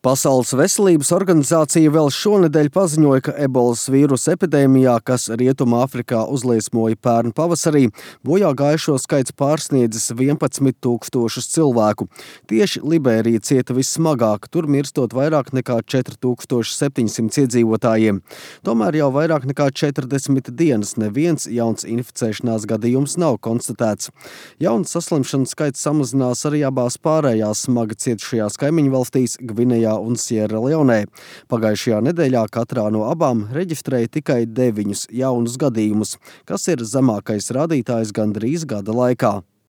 Pasaules veselības organizācija vēl šonedēļ paziņoja, ka ebolas vīrusa epidēmijā, kas Rietumāfrikā uzliesmoja pērn pavasarī, bojā gājušo skaits pārsniedzis 11,000 cilvēku. Tieši Liberija cieta vissmagāk, tur mirstot vairāk nekā 4700 iedzīvotājiem. Tomēr jau vairāk nekā 40 dienas neviens jauns inficēšanās gadījums nav konstatēts. Jauns saslimšanas skaits samazinās arī abās pārējās smagi cietušajās kaimiņu valstīs Gvinejā un Sierraleonē. Pagājušajā nedēļā katrā no abām reģistrēja tikai 9 jaunus gadījumus, kas ir zemākais rādītājs gandrīz gada laikā.